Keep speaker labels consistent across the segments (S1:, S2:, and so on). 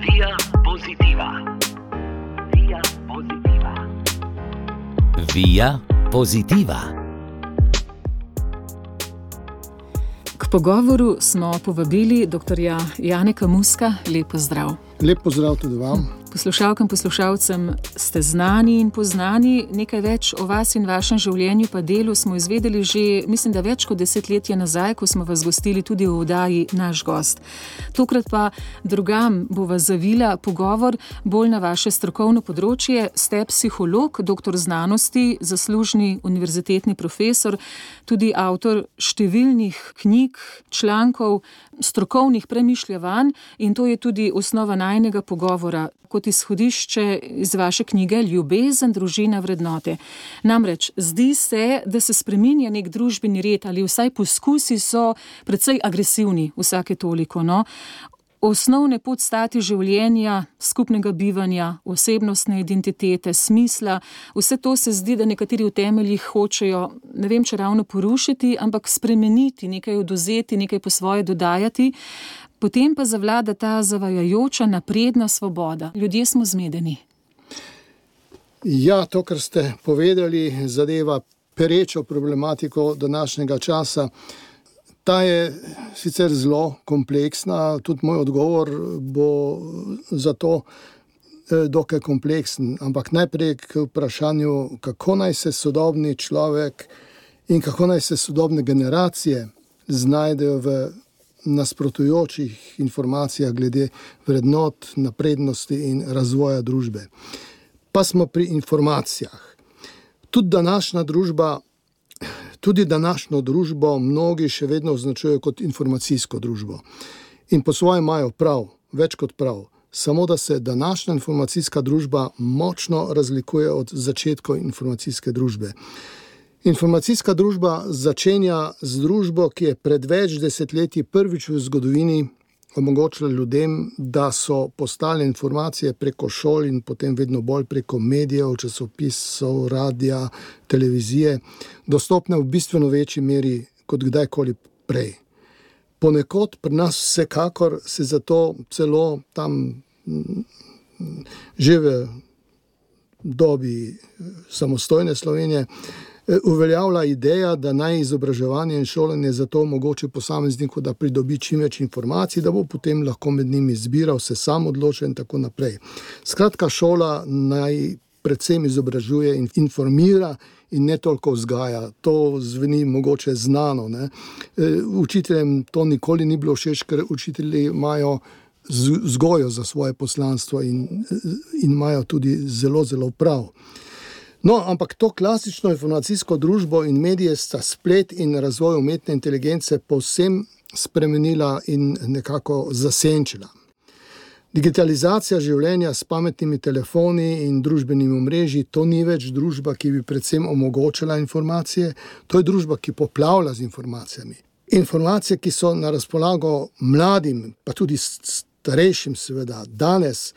S1: Via Positiva. Via Positiva.
S2: Via Positiva.
S3: K pogovoru smo povabili dr. Janeka Muska. Lep pozdrav.
S4: Lep pozdrav tudi vam.
S3: Poslušalkam, poslušalcem ste znani in poznani. Nekaj več o vas in vašem življenju pa delu smo izvedeli že, mislim, da več kot 10 let nazaj, ko smo vas gostili tudi v oddaji Naš gost. Tokrat pa drugam bova zavila pogovor bolj na vaše strokovno področje. Ste psiholog, doktor znanosti, zaslužni univerzitetni profesor, tudi avtor številnih knjig, člankov, strokovnih premišljevanj in to je tudi osnova najinega pogovora kot izhodišče iz vaše knjige Ljubezen, družina, vrednote. Namreč, zdi se, da se spreminja nek družbeni red ali vsaj poskusi so precej agresivni vsake toliko, no. Osnovne podstati življenja, skupnega bivanja, osebnostne identitete, smisla, vse to se zdi, da nekateri v temeljih hočejo, ne vem, če ravno porušiti, ampak spremeniti, nekaj odvzeti, nekaj po svoje dodajati. Potem pa zavlada ta zavajajoča napredna svoboda. Ljudje smo zmedeni.
S4: Ja, to, kar ste povedali, zadeva perečo problematiko današnjega časa. Ta je sicer zelo kompleksna, tudi moj odgovor bo zato dokaj kompleksen, ampak najprej k vprašanju, kako naj se sodobni človek in kako naj se sodobne generacije znajdejo v nasprotujočih informacijah glede vrednot, naprednosti in razvoja družbe. Pa smo pri informacijah. Tudi današnjo družbo mnogi še vedno označujejo kot informacijsko družbo. In po svoje imajo prav, več kot prav. Samo da se današnja informacijska družba močno razlikuje od začetkov informacijske družbe. Informacijska družba začenja z družbo, ki je pred več desetletji prvič v zgodovini omogočila ljudem, da so postale informacije preko šol in potem vedno bolj preko medijev, časopisov, radia, televizije, dostopne v bistveno večji meri kot kdajkoli prej. Ponekod pri nas vsekakor se zato celo tam že v dobi samostojne Slovenije uveljavlja ideja, da naj izobraževanje in šolanje zato omogoči posamezniku, da pridobi čim več informacij, da bo potem lahko med njimi izbiral, se sam odločil in tako naprej. Skratka, šola naj predvsem izobražuje in informira in ne toliko vzgaja. To zveni mogoče znano, ne. Učiteljem to nikoli ni bilo všeč, ker učitelji imajo vzgojo za svoje poslanstvo in imajo tudi zelo, zelo prav. No, ampak to klasično informacijsko družbo in medije sta splet in razvoj umetne inteligence povsem spremenila in nekako zasenčila. Digitalizacija življenja s pametnimi telefoni in družbenimi omrežji, to ni več družba, ki bi predvsem omogočala informacije, to je družba, ki poplavlja z informacijami. Informacije, ki so na razpolago mladim, pa tudi starejšim seveda, danes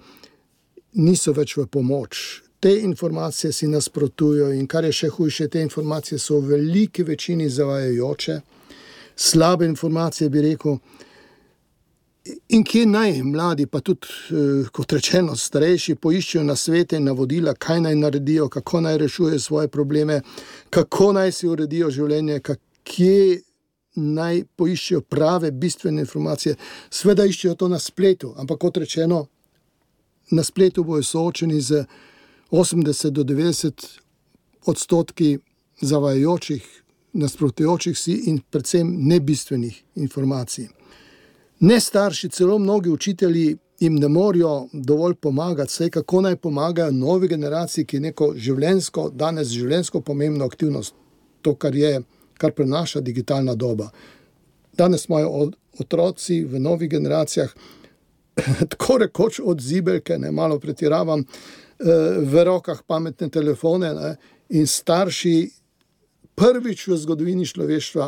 S4: niso več v pomoč. Te informacije si nasprotujejo in kar je še hujše, te informacije so v veliki večini zavajajoče, slabe informacije bi rekel. In kje naj mladi, pa tudi, kot rečeno, starejši, poiščejo nasvete in navodila, kaj naj naredijo, kako naj rešujejo svoje probleme, kako naj si uredijo življenje, kje naj poiščejo prave, bistvene informacije. Seveda iščejo to na spletu, ampak kot rečeno, na spletu bojo soočeni z 80 do 90% zavajajočih, nasprotujočih si in predvsem nebistvenih informacij. Ne starši, celo mnogi učitelji jim ne morejo dovolj pomagati, saj kako naj pomagajo novi generaciji, ki je neko danes življenjsko pomembno aktivnost, to, kar prenaša digitalna doba. Danes imajo otroci v novih generacijah tako rekoč od zibelke, ne, malo pretiravam, v rokah pametne telefone, ne, in starši prvič v zgodovini človeštva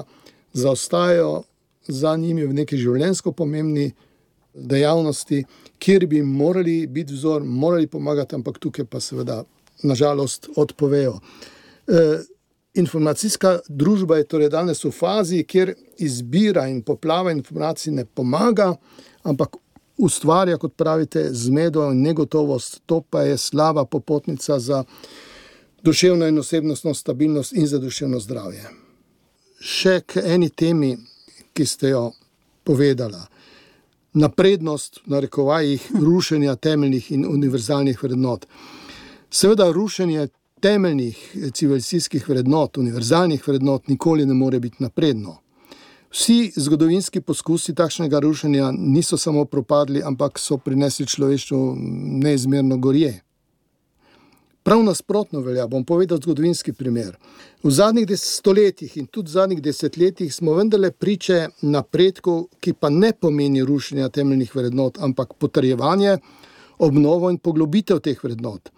S4: zaostajajo za njimi v neki življenjsko pomembni dejavnosti, kjer bi morali biti vzor, morali pomagati, ampak tukaj pa seveda nažalost odpovejo. Informacijska družba je torej danes v fazi, kjer izbira in poplava informacij ne pomaga, ampak ustvarja, kot pravite, zmedo in negotovost, to pa je slaba popotnica za duševno in osebnostno stabilnost in za duševno zdravje. Še k eni temi, ki ste jo povedala. Naprednost, v narekovajih, rušenja temeljnih in univerzalnih vrednot. Seveda rušenje temeljnih civilizacijskih vrednot, univerzalnih vrednot nikoli ne more biti napredno. Vsi zgodovinski poskusi takšnega rušenja niso samo propadli, ampak so prinesli človeštvu neizmerno gorje. Prav nasprotno velja, bom povedal zgodovinski primer. V zadnjih stoletjih in tudi v zadnjih desetletjih smo vendarle priče napredku, ki pa ne pomeni rušenja temeljnih vrednot, ampak potrjevanje, obnovo in poglobitev teh vrednot.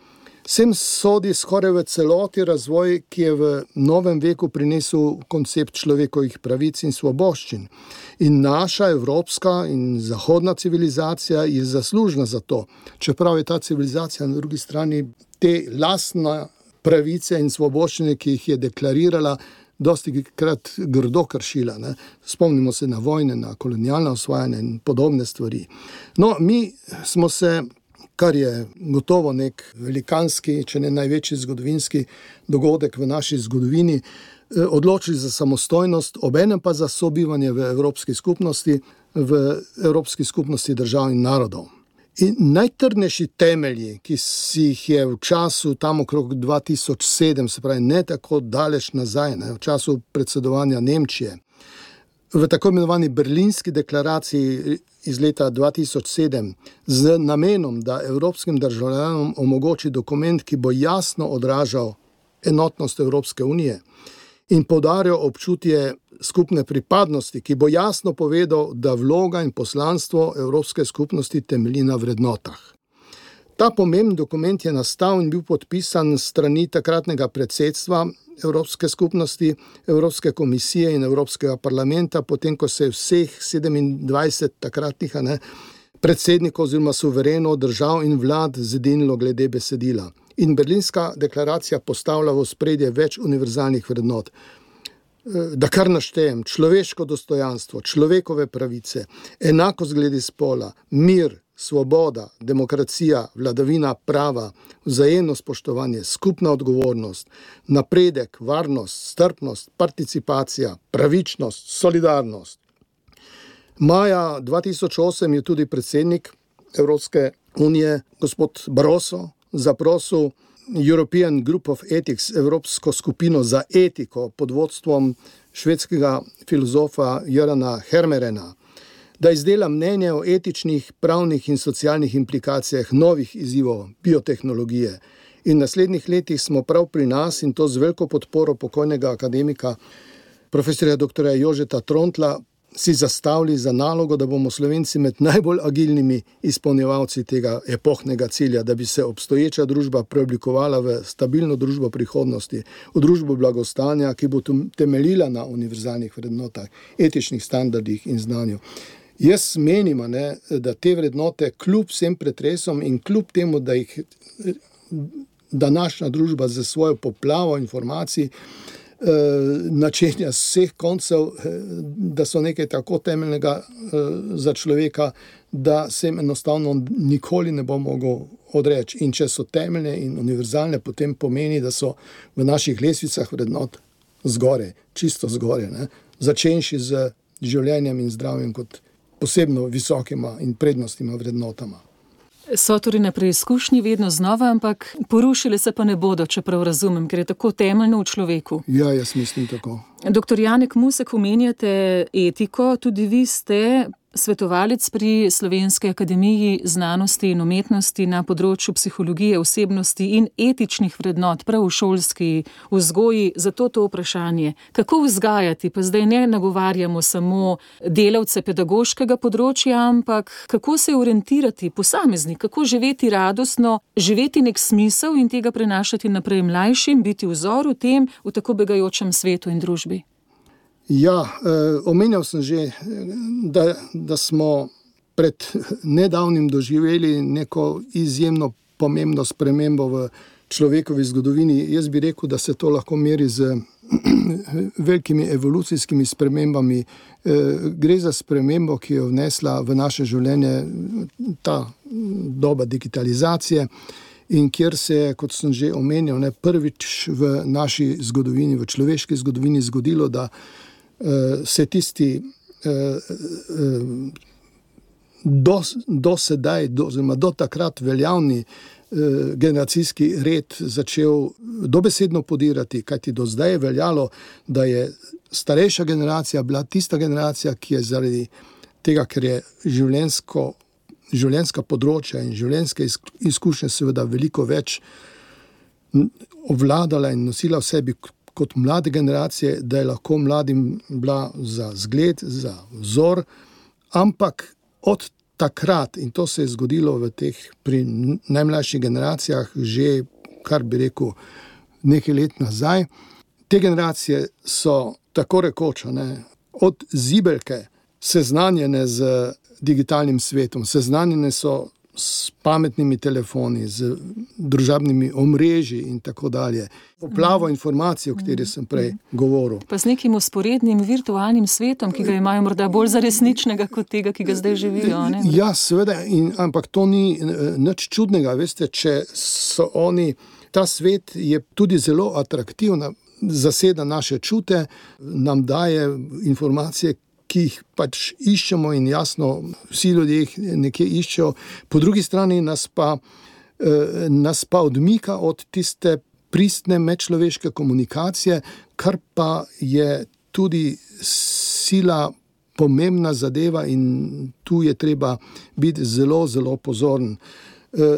S4: Sem sodi skoraj v celoti razvoj, ki je v novem veku prinesel koncept človekovih pravic in svoboščin. In naša evropska in zahodna civilizacija je zaslužna za to, čeprav je ta civilizacija na drugi strani te lastne pravice in svoboščine, ki jih je deklarirala, dosti krat grdo kršila. Ne? Spomnimo se na vojne, na kolonialna osvajanja in podobne stvari. No, mi smo se, kar je gotovo nek velikanski, če ne največji zgodovinski dogodek v naši zgodovini, odločili za samostojnost, obenem pa za sobivanje v Evropski skupnosti držav in narodov. In najtrdnejši temelji, ki si jih je v času tam okrog 2007, se pravi ne tako daleč nazaj, v času predsedovanja Nemčije, v tako imenovani Berlinski deklaraciji iz leta 2007 z namenom, da evropskim državljanom omogoči dokument, ki bo jasno odražal enotnost Evropske unije in poudarjal občutje skupne pripadnosti, ki bo jasno povedal, da vloga in poslanstvo Evropske skupnosti temelji na vrednotah. Ta pomemben dokument je nastal in bil podpisan s strani takratnega predsedstva Evropske skupnosti, Evropske komisije in Evropskega parlamenta, potem ko se je vseh 27 takratnih predsednikov oziroma suverenov držav in vlad zedinilo glede besedila. In Berlinska deklaracija postavlja v ospredje več univerzalnih vrednot. Da kar naštejem, človeško dostojanstvo, človekove pravice, enakost glede spola, mir, svoboda, demokracija, vladavina prava, vzajemno spoštovanje, skupna odgovornost, napredek, varnost, strpnost, participacija, pravičnost, solidarnost. Maja 2008 je tudi predsednik Evropske unije, gospod Barroso, zaprosil European Group of Ethics, Evropsko skupino za etiko pod vodstvom švedskega filozofa Jørana Hermerena, da izdela mnenje o etičnih, pravnih in socialnih implikacijah novih izzivov biotehnologije. In v naslednjih letih smo prav pri nas, in to z veliko podporo pokojnega akademika profesorja dr. Jožeta Trontla, si zastavili za nalogo, da bomo Slovenci med najbolj agilnimi izpolnjevalci tega epohnega cilja, da bi se obstoječa družba preoblikovala v stabilno družbo prihodnosti, v družbo blagostanja, ki bo temeljila na univerzalnih vrednotah, etičnih standardih in znanju. Jaz menim, da te vrednote kljub vsem pretresom in kljub temu, da jih današnja družba za svojo poplavo informacij načenja z vseh koncev, da so nekaj tako temeljnega za človeka, da se jim enostavno nikoli ne bo mogel odreči. In če so temeljne in univerzalne, potem pomeni, da so v naših lestvicah vrednot zgore, čisto zgore, začenši z življenjem in zdravjem kot posebno visokima in prednostnima vrednotama.
S3: So torej na preizkušnji vedno znova, ampak porušile se pa ne bodo, čeprav razumem, ker je tako temeljno v človeku.
S4: Ja, jaz mislim tako.
S3: Dr. Janek Musek, omenjate etiko, tudi vi ste svetovalec pri Slovenski akademiji znanosti in umetnosti na področju psihologije, osebnosti in etičnih vrednot, prav v šolski vzgoji. Zato to vprašanje, kako vzgajati, pa zdaj ne nagovarjamo samo delavce pedagoškega področja, ampak kako se orientirati posameznik, kako živeti radostno, živeti nek smisel in tega prenašati naprej mlajšim, biti vzor v tem, v tako begajočem svetu in družbi.
S4: Ja, omenjal sem že, da smo pred nedavnim doživeli neko izjemno pomembno spremembo v človekovi zgodovini. Jaz bi rekel, da se to lahko meri z velikimi evolucijskimi spremembami. Gre za spremembo, ki jo vnesla v naše življenje ta doba digitalizacije in kjer se je, kot sem že omenil, prvič v naši zgodovini, v človeški zgodovini zgodilo, da se tisti do sedaj, oziroma do takrat veljavni generacijski red začel dobesedno podirati, kajti do zdaj je veljalo, da je starejša generacija bila tista generacija, ki je zaradi tega, ker je življenjska področja in življenjske izkušnje seveda veliko več obvladala in nosila v sebi kot mlade generacije, da je lahko mladim bila za zgled, za vzor, ampak od takrat, in to se je zgodilo pri najmlajših generacijah že, kar bi rekel, nekaj let nazaj, te generacije so tako rekoč, od zibelke seznanjene z digitalnim svetom, seznanjene so s pametnimi telefoni, z družabnimi omrežji in tako dalje. Poplavo informacij, o kateri sem prej govoril.
S3: Pa z nekim vzporednim virtualnim svetom, ki ga imajo morda bolj za resničnega kot tega, ki ga zdaj živijo. Ne?
S4: Ja, seveda, ampak to ni nič čudnega. Veste, če so oni, ta svet je tudi zelo atraktivna, zaseda naše čute, nam daje informacije, ki jih pač iščemo in jasno, vsi ljudje jih nekje iščejo. Po drugi strani nas pa odmika od tiste pristne medčloveške komunikacije, kar pa je tudi sila pomembna zadeva in tu je treba biti zelo, zelo pozoren.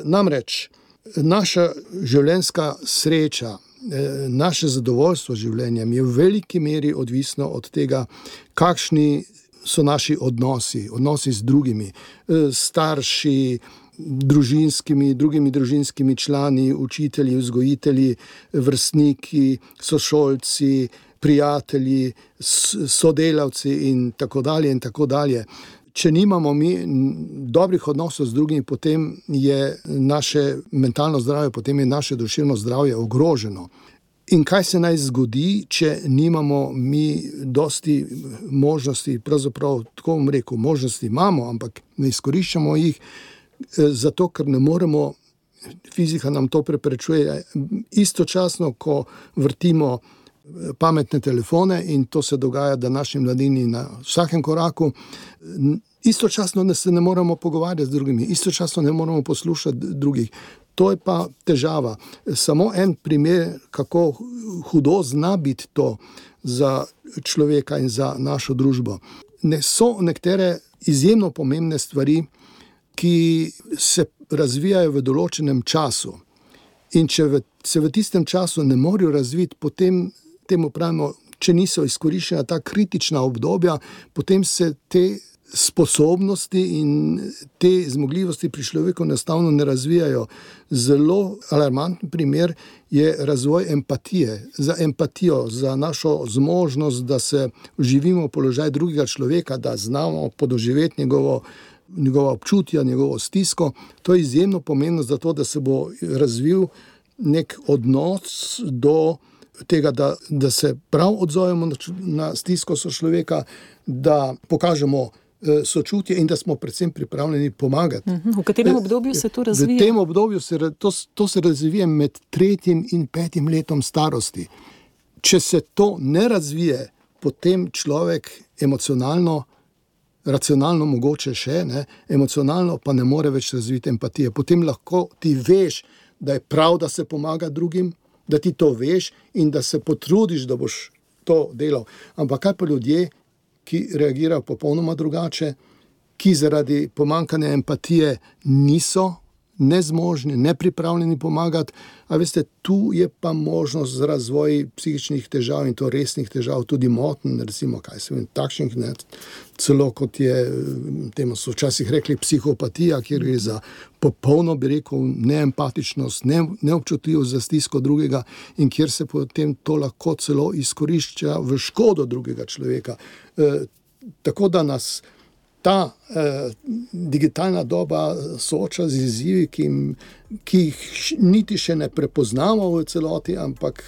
S4: Namreč, naša življenjska sreča, naše zadovoljstvo življenjem je v veliki meri odvisno od tega, kakšni so naši odnosi z drugimi, starši, drugimi družinskimi člani, učitelji, vzgojitelji, vrstniki, sošolci, prijatelji, sodelavci in tako dalje in tako dalje. Če nimamo mi dobrih odnosov z drugimi, potem je naše mentalno zdravje, potem je naše duševno zdravje ogroženo. In kaj se naj zgodi, če nimamo mi dosti možnosti, pravzaprav tako bom rekel, možnosti imamo, ampak ne izkoriščamo jih, zato ker ne moremo, fizika nam to preprečuje, istočasno, ko vrtimo pametne telefone in to se dogaja današnji mladini na vsakem koraku, istočasno se ne moremo pogovarjati z drugimi, istočasno ne moremo poslušati drugih. To je pa težava. Samo en primer, kako hudo zna biti to za človeka in za našo družbo. So nekatere izjemno pomembne stvari, ki se razvijajo v določenem času. In če se v tistem času ne morejo razviti, potem temu pravimo, če niso izkoriščena ta kritična obdobja, potem se te sposobnosti in te zmogljivosti pri človeku enostavno ne razvijajo. Zelo alarmanten primer je razvoj empatije. Za empatijo, za našo zmožnost, da se vživimo v položaj drugega človeka, da znamo podoživeti njegova občutja, njegovo stisko. To je izjemno pomembno za to, da se bo razvil nek odnos do tega, da se prav odzovemo na stisko sočloveka, da pokažemo sočutje in da smo predvsem pripravljeni pomagati.
S3: V katerem obdobju se to razvija?
S4: V tem obdobju to se razvija med 3. in 5. letom starosti. Če se to ne razvije, potem človek emocionalno, racionalno mogoče še, emocionalno pa ne more več razviti empatije. Potem lahko ti veš, da je prav, da se pomaga drugim, da ti to veš in da se potrudiš, da boš to delal. Ampak kaj pa ljudje, ki reagirajo popolnoma drugače, ki zaradi pomanjkanja empatije niso nezmožni, nepripravljeni pomagati. A veste, tu je pa možnost za razvoj psihičnih težav in to resnih težav, tudi motenj, recimo, takšnih, celo kot je, temu so včasih rekli psihopatija, kjer je za popolno, bi rekel, neempatičnost, neobčutljivost za stisko drugega in kjer se potem to lahko celo izkorišča v škodo drugega človeka. Tako da nas ta digitalna doba sooča z izzivi, ki jih niti še ne prepoznamo v celoti, ampak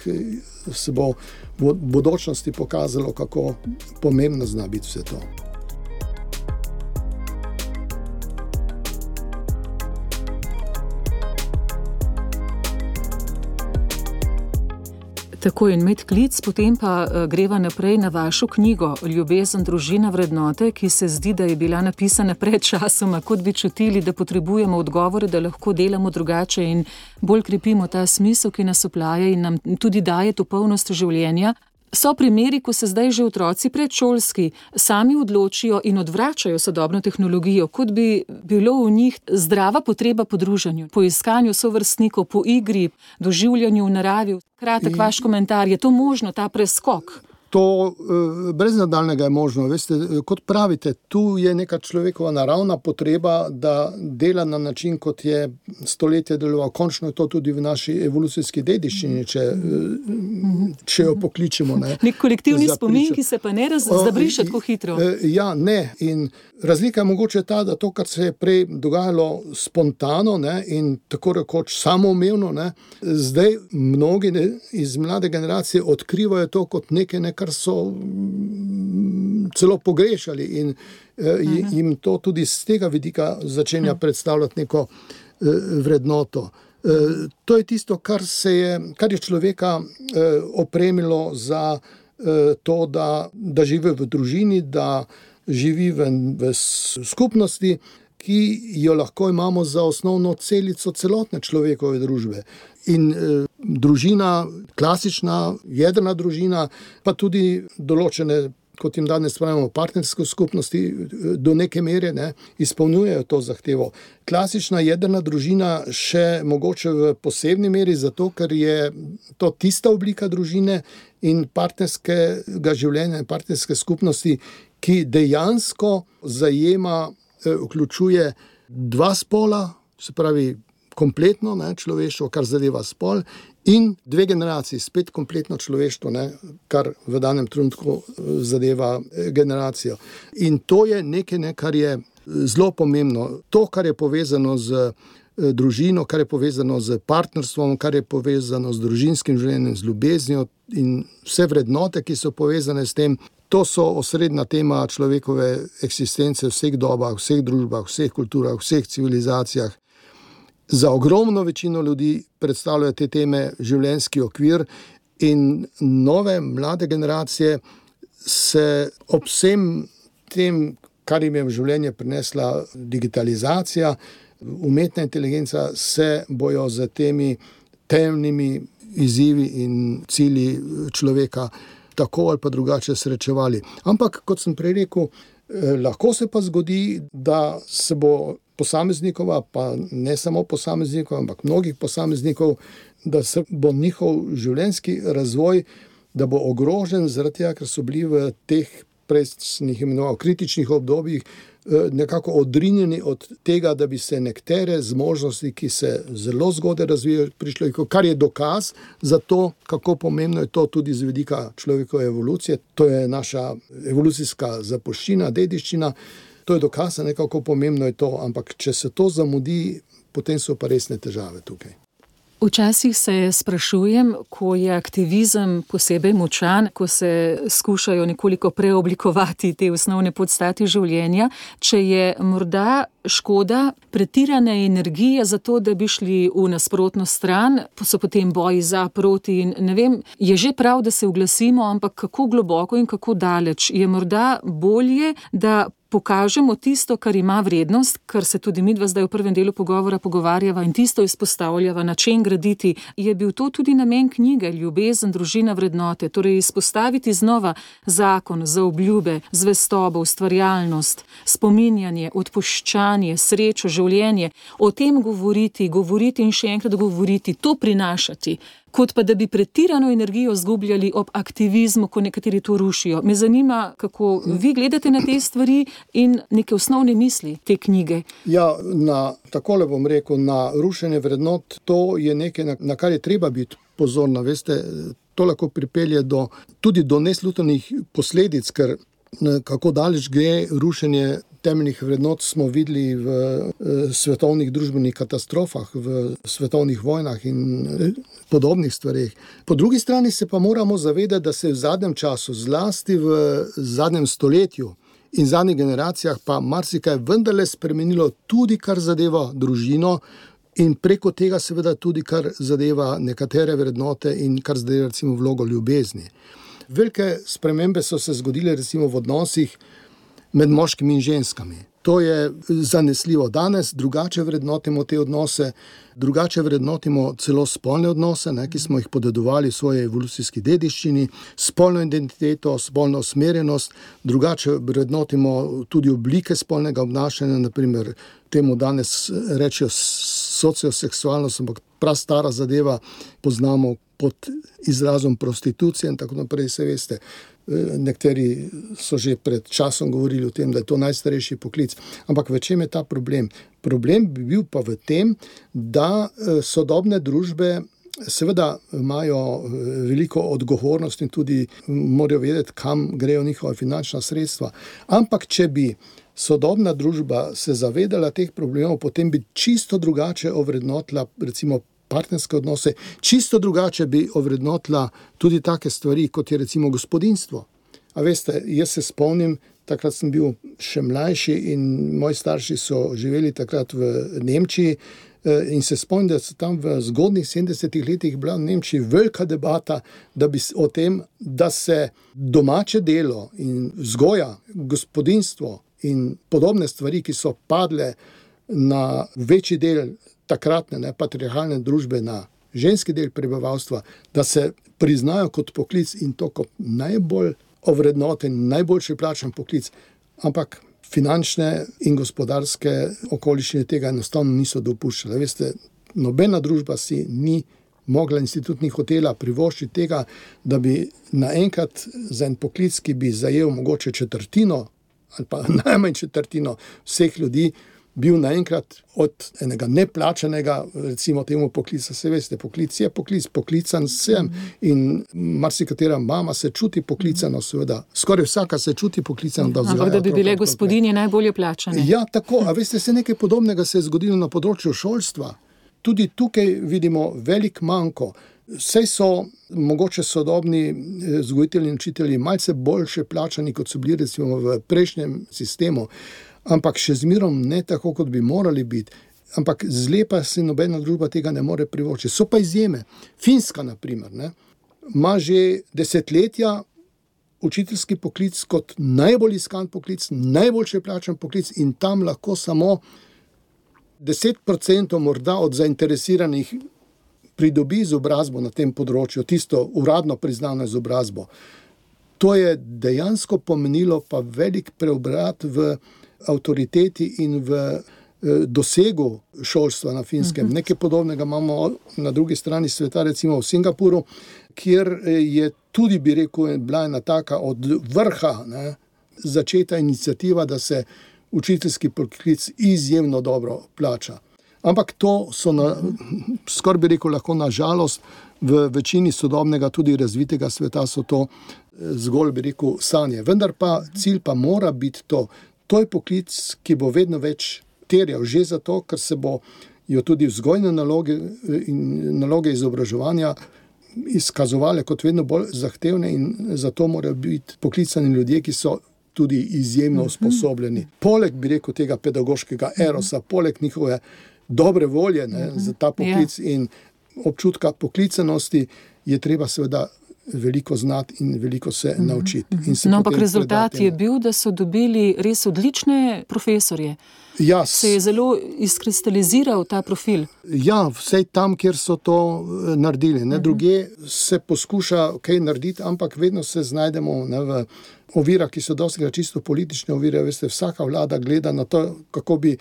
S4: se bo v bodočnosti pokazalo, kako pomembno zna biti vse to.
S3: Tako in med klic, potem pa greva naprej na vašo knjigo Ljubezen, družina, vrednote, ki se zdi, da je bila napisana pred časoma, kot bi čutili, da potrebujemo odgovore, da lahko delamo drugače in bolj krepimo ta smisel, ki nas oplaja in nam tudi daje to polnost življenja. So primeri, ko se zdaj že otroci predšolski sami odločijo in odvračajo sodobno tehnologijo, kot bi bilo v njih zdrava potreba po druženju, po iskanju sovrstnikov, po igri, doživljanju v naravi. Kratek vaš komentar, je to možno, ta preskok?
S4: To brez nadaljnega je možno. Veste, kot pravite, tu je neka človekova naravna potreba, da dela na način, kot je stoletje deloval. Končno je to tudi v naši evolucijski dediščini, če jo pokličemo.
S3: Nek kolektivni spomin, ki se pa ne zabriše tako hitro.
S4: Ja, ne. In razlika je mogoče ta, da to, kar se je prej dogajalo spontano in tako rekoč samoumevno, zdaj mnogi iz mlade generacije odkrivajo to kot nekaj, kar so celo pogrešali in jim to tudi z tega vidika začenja predstavljati neko vrednoto. To je tisto, kar je človeka opremilo za to, da živi v družini, da živi v skupnosti, ki jo lahko imamo za osnovno celico celotne človekove družbe. In družina, klasična, jedrna družina, pa tudi določene, kot jim danes pravimo, partnerske skupnosti, do neke mere izpolnjujejo to zahtevo. Klasična jedrna družina še mogoče v posebni meri, zato ker je to tista oblika družine in partnerskega življenja in partnerske skupnosti, ki dejansko zajema, vključuje dva spola, se pravi kompletno človeštvo, kar zadeva spol, in dve generaciji, spet kompletno človeštvo, kar v danem trenutku zadeva generacijo. In to je nekaj, kar je zelo pomembno. To, kar je povezano z družino, kar je povezano z partnerstvom, kar je povezano z družinskim življenjem, z ljubeznijo in vse vrednote, ki so povezane s tem, to so osrednja tema človekove eksistence v vseh dobah, vseh družbah, vseh kulturah, vseh civilizacijah. Za ogromno večino ljudi predstavljajo te teme življenjski okvir in nove, mlade generacije se ob vsem tem, kar jim je v življenje prinesla digitalizacija, umetna inteligenca, se bojo z temi temnimi izzivi in cilji človeka tako ali pa drugače srečevali. Ampak, kot sem prej rekel, lahko se pa zgodi, da se bo posameznikova, pa ne samo posameznikov, ampak mnogih posameznikov, da se bo njihov življenjski razvoj, da bo ogrožen zaradi tega, ker so bili v teh prej sem jih imenoval kritičnih obdobjih nekako odrinjeni od tega, da bi se nekatere zmožnosti, ki se zelo zgodaj razvijajo pri človeku, kar je dokaz za to, kako pomembno je to tudi z vidika človekove evolucije. To je naša evolucijska zapuščina, dediščina. To je dokaz, kako pomembno je to, ampak če se to zamudi, potem so pa resne težave tukaj.
S3: Včasih se sprašujem, ko je aktivizem posebej močan, ko se skušajo nekoliko preoblikovati te osnovne podstati življenja, če je morda škoda pretirane energije za to, da bi šli v nasprotno stran, so potem boji za, proti in ne vem, je že prav, da se oglasimo, ampak kako globoko in kako daleč. Je morda bolje, da pokažemo tisto, kar ima vrednost, kar se tudi midva zdaj v prvem delu pogovora pogovarjava in tisto izpostavljava, na čem graditi. Je bil to tudi namen knjige Ljubezen, družina, vrednote, torej izpostaviti znova zakon, zaobljube, zvestobo, ustvarjalnost, spominjanje, odpuščanje, srečo, življenje, o tem govoriti in še enkrat govoriti, to prinašati, kot pa da bi pretirano energijo zgubljali ob aktivizmu, ko nekateri to rušijo. Me zanima, kako vi gledate na te stvari in neke osnovne misli te knjige.
S4: Ja, takole bom rekel, na rušenje vrednot, to je nekaj, na kar je treba biti pozorna. Veste, to lahko pripelje tudi do neslutnih posledic, ker kako daleč gre rušenje temeljnih vrednot, smo videli v svetovnih družbenih katastrofah, v svetovnih vojnah in podobnih stvareh. Po drugi strani se pa moramo zavedati, da se v zadnjem času, zlasti v zadnjem stoletju in zadnjih generacijah, pa marsikaj vendarle spremenilo tudi kar zadeva družino in preko tega seveda tudi kar zadeva nekatere vrednote in kar zadeva recimo vlogo ljubezni. Velike spremembe so se zgodile recimo v odnosih med moškimi in ženskami. To je zanesljivo. Danes drugače vrednotimo te odnose, drugače vrednotimo celo spolne odnose, ki smo jih podedovali v svoji evolucijski dediščini, spolno identiteto, spolno usmerjenost, drugače vrednotimo tudi oblike spolnega obnašanja, naprimer temu danes rečejo socioseksualnost, ampak prastara zadeva, poznamo pod izrazom prostitucije in tako naprej, se veste. Nekateri so že pred časom govorili o tem, da je to najstarejši poklic. Ampak v čem je ta problem? Problem bi bil pa v tem, da sodobne družbe seveda imajo veliko odgovornost in tudi morajo vedeti, kam grejo njihova finančna sredstva. Ampak če bi sodobna družba se zavedala teh problemov, potem bi čisto drugače ovrednotila recimo partnerske odnose, čisto drugače bi ovrednotila tudi take stvari, kot je recimo gospodinjstvo. A veste, jaz se spomnim, takrat sem bil še mlajši in moji starši so živeli takrat v Nemčiji in se spomnim, da so tam v zgodnjih 70-ih letih bila v Nemčiji velika debata, da bi o tem, da se domače delo in vzgoja, gospodinjstvo in podobne stvari, ki so padle na večji del takratne patriarhalne družbe, na ženski del prebivalstva, da se priznajo kot poklic in to kot najbolj ovrednoten, najboljši plačan poklic, ampak finančne in gospodarske okoliščine tega enostavno niso dopuščale. Veste, nobena družba si ni mogla institut ni hotela privoščiti tega, da bi naenkrat za en poklic, ki bi zajel mogoče četrtino ali pa najmanj četrtino vseh ljudi, bil naenkrat od enega neplačanega, recimo temu poklica, se veste, poklic je poklic, poklican sem in marsikatera mama se čuti poklicano, seveda, skoraj vsaka se čuti poklicano, da vzgaja.
S3: Ampak da bi bile gospodinje najbolje plačane.
S4: Ja, tako, a veste, se nekaj podobnega se je zgodilo na področju šolstva. Tudi tukaj vidimo velik manko. Saj so mogoče sodobni vzgojitelji in učitelji malce boljše plačani, kot so bili recimo v prejšnjem sistemu, ampak še zmerom ne tako, kot bi morali biti. Ampak zlepa se nobena družba tega ne more privoščiti. So pa izjeme. Finska, na primer, ima že desetletja učiteljski poklic kot najbolj iskan poklic, najboljše plačan poklic in tam lahko samo 10% morda od zainteresiranih pridobi izobrazbo na tem področju, tisto uradno priznano izobrazbo. To je dejansko pomenilo pa velik preobrat v avtoriteti in v dosegu šolstva na Finskem. Nekaj podobnega imamo na drugi strani sveta, recimo v Singapuru, kjer je tudi, bi rekel, bila ena taka od vrha začeta iniciativa, da se učiteljski poklic izjemno dobro plača. Ampak to so, skoraj bi rekel, lahko na žalost, v večini sodobnega, tudi razvitega sveta so to zgolj, bi rekel, sanje. Vendar pa cilj pa mora biti to. To je poklic, ki bo vedno več terjal, že zato, ker se bojo tudi vzgojne naloge in naloge izobraževanja izkazovale kot vedno bolj zahtevne in zato morajo biti poklicani ljudje, ki so tudi izjemno usposobljeni. Poleg, bi rekel, tega pedagoškega erosa, poleg njihove dobre volje za ta poklic in občutka poklicanosti, je treba seveda veliko znati in veliko se naučiti.
S3: No, ampak rezultat je bil, da so dobili res odlične profesorje.
S4: Ja,
S3: se je zelo izkristaliziral ta profil.
S4: Ja, vsej tam, kjer so to naredili. Druge se poskuša kaj narediti, ampak vedno se znajdemo v ovirah, ki so dostikrat čisto politične ovire. Veste, vsaka vlada gleda na to, kako bi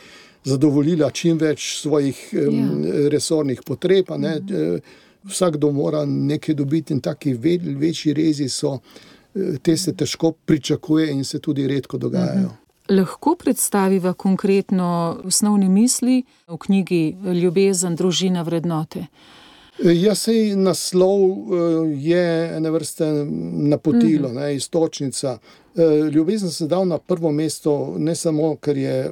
S4: zadovoljila čim več svojih resornih potreb. Vsakdo mora nekaj dobiti in taki večji rezi so, te se težko pričakuje in se tudi redko dogajajo.
S3: Lahko predstaviva konkretno osnovne misli v knjigi Ljubezen, družina, vrednote.
S4: Sej naslov je ene vrste napotilo, iztočnica. Ljubezen se dal na prvo mesto ne samo, ker je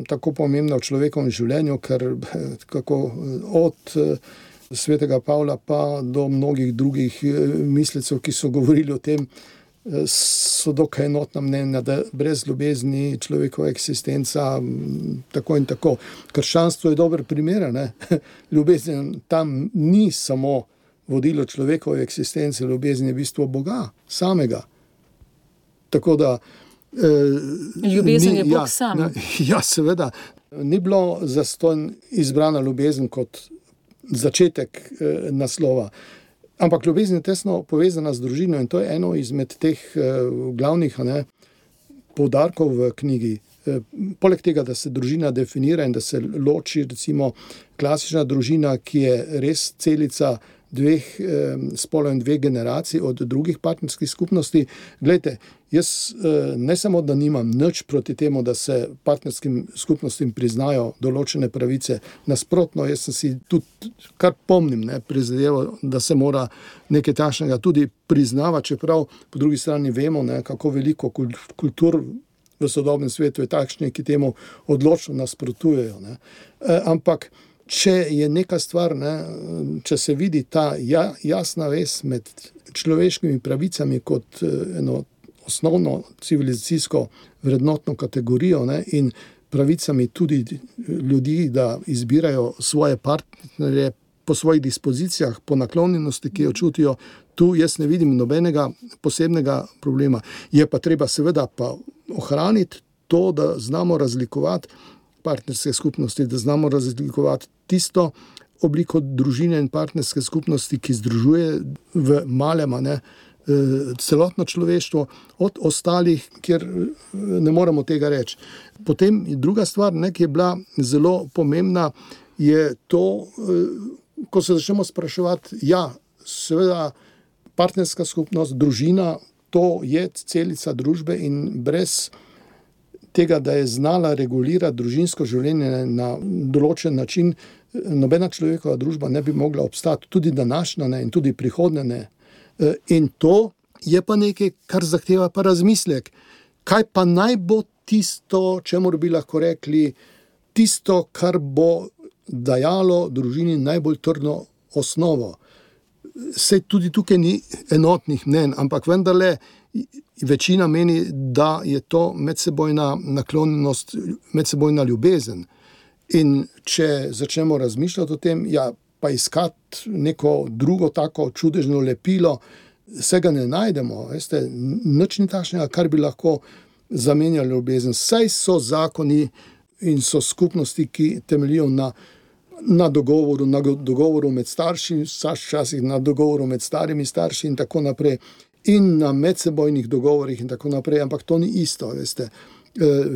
S4: tako pomembna v človekovem življenju, ker od svetega Pavla pa do mnogih drugih mislecev, ki so govorili o tem, so dokaj enotna mnenja, da brez ljubezni človekova eksistenca tako in tako. Krščanstvo je dober primer, ne? Ljubezen tam ni samo vodilo človekove eksistence, ljubezen je bistvo Boga samega. Tako da
S3: ljubezen je Bog sam.
S4: Ja, seveda. Ni bilo zastonj izbrana ljubezen kot začetek naslova. Ampak ljubezen je tesno povezana z družino in to je eno izmed teh glavnih poudarkov v knjigi. Poleg tega, da se družina definira in da se loči recimo klasična družina, ki je res celica dveh spolov in dveh generacij od drugih partnerskih skupnosti. Glejte, jaz ne samo, da nimam nič proti temu, da se partnerskim skupnostim priznajo določene pravice. Nasprotno, jaz sem si tudi, kar pomnim, prizadeval, da se mora nekaj takšnega tudi priznavati, čeprav po drugi strani vemo, kako veliko kultur v sodobnem svetu je takšnih, ki temu odločno nasprotujejo. Ampak če je neka stvar, če se vidi ta jasna vez med človeškimi pravicami kot eno osnovno civilizacijsko vrednotno kategorijo in pravicami tudi ljudi, da izbirajo svoje partnerje po svojih dispozicijah, po naklonjenosti, ki jo čutijo, tu jaz ne vidim nobenega posebnega problema. Je pa treba seveda pa ohraniti to, da znamo razlikovati partnerske skupnosti, da znamo razlikovati tisto obliko družine in partnerske skupnosti, ki združuje v malem celotno človeštvo, od ostalih, kjer ne moremo tega reči. Potem druga stvar, ki je bila zelo pomembna, je to, ko se začnemo spraševati, seveda partnerska skupnost, družina, to je celica družbe in brez tega, da je znala regulirati družinsko življenje na določen način, nobena človekova družba ne bi mogla obstati, tudi današnja in tudi prihodnja ne. In to je pa nekaj, kar zahteva pa razmislek. Kaj pa naj bo tisto, čemur bi lahko rekli, tisto, kar bo dajalo družini najbolj trdno osnovo. Saj tudi tukaj ni enotnih mnenj, ampak vendarle večina meni, da je to medsebojna naklonjenost, medsebojna ljubezen. In če začnemo razmišljati o tem, pa iskati neko drugo tako čudežno lepilo, se ga ne najdemo. Veste, nič ni takšnega, kar bi lahko zamenjali ljubezen. Saj so zakoni in so skupnosti, ki temeljijo na dogovoru med starši, včasih na dogovoru med starimi starši in tako naprej, in na medsebojnih dogovorih in tako naprej, ampak to ni isto, veste.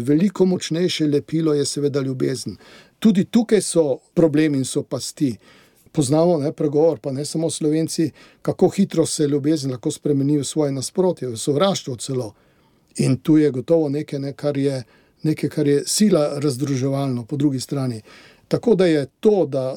S4: Veliko močnejše lepilo je seveda ljubezen. Tudi tukaj so problemi in so pasti. Poznamo pregovor, pa ne samo Slovenci, kako hitro se ljubezen lahko spremeni v svoje nasprotje, v sovraštvo celo. In tu je gotovo nekaj, kar je sila razdruževalno po drugi strani. Tako da je to, da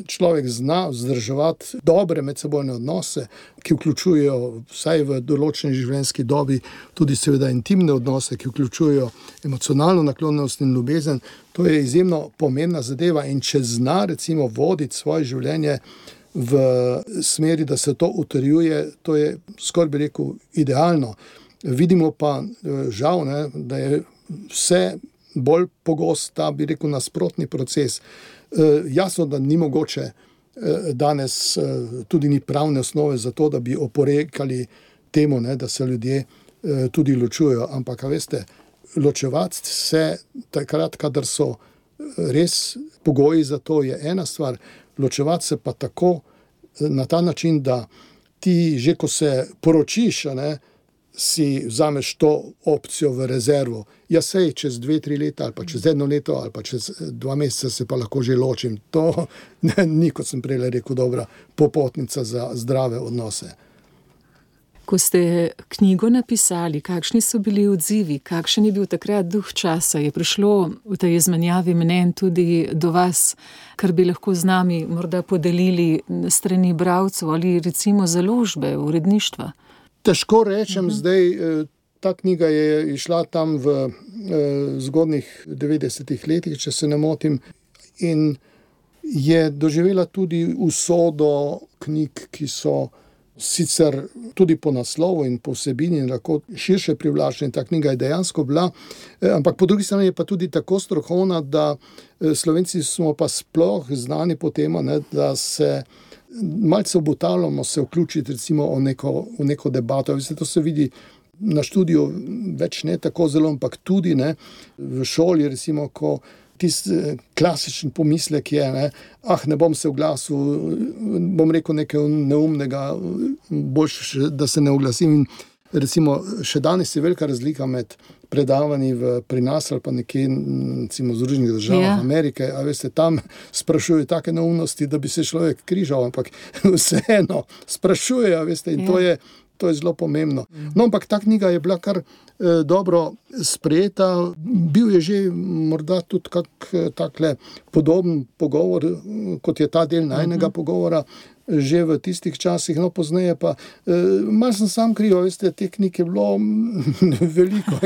S4: človek zna vzdrževati dobre medsebojne odnose, ki vključujejo vsaj v določeni življenjski dobi tudi seveda intimne odnose, ki vključujejo emocionalno naklonjenost in ljubezen, to je izjemno pomembna zadeva. In če zna recimo voditi svoje življenje v smeri, da se to utrjuje, to je skoraj bi rekel idealno. Vidimo pa žal, da je vse bolj pogost ta, bi rekel, nasprotni proces. Jasno, da ni mogoče danes, tudi ni pravne osnove za to, da bi oporekali temu, da se ljudje tudi ločujejo. Ampak, veste, ločevati se takrat, kadar so res pogoji za to, je ena stvar. Ločevati se pa tako na ta način, da ti že, ko se poročiš, si vzameš to opcijo v rezervo. Sej čez 2-3 leta ali pa čez 1 leto ali pa čez 2 meseca se pa lahko že ločim. To ni, kot sem prej rekel, dobra popotnica za zdrave odnose.
S3: Ko ste knjigo napisali, kakšni so bili odzivi, kakšen je bil takrat duh časa? Je prišlo v tej izmenjavi mnenj tudi do vas, kar bi lahko z nami morda podelili strani bralcev ali recimo založbe, uredništva?
S4: Težko rečem zdaj, ta knjiga je išla tam v zgodnjih 90-ih letih, če se ne motim, in je doživela tudi usodo knjig, ki so sicer tudi po naslovu in po vsebini lahko širše privlačne. Ta knjiga je dejansko bila, ampak po drugi strani je pa tudi tako strokovna, da Slovenci smo pa sploh znani po tem, da se malce obotavljamo se vključiti recimo v neko debato. To se vidi na študiju več ne tako zelo, ampak tudi v šoli recimo, ko tisti klasičen pomislek je, ne bom se oglasil, bom rekel nekaj neumnega, boljše, da se ne oglasim. In recimo, še danes je velika razlika med predavanji pri nas ali pa nekje, recimo v Združenih državah Amerike, a veste, tam sprašujejo take neumnosti, da bi se človek križal, ampak vseeno sprašujejo, veste, in to je zelo pomembno. No, ampak ta knjiga je bila kar dobro sprejeta. Bil je že morda tudi kak takle podoben pogovor, kot je ta del najnega pogovora, že v tistih časih, no pozneje pa malo sem sam kriv, veste, te knjige je bilo veliko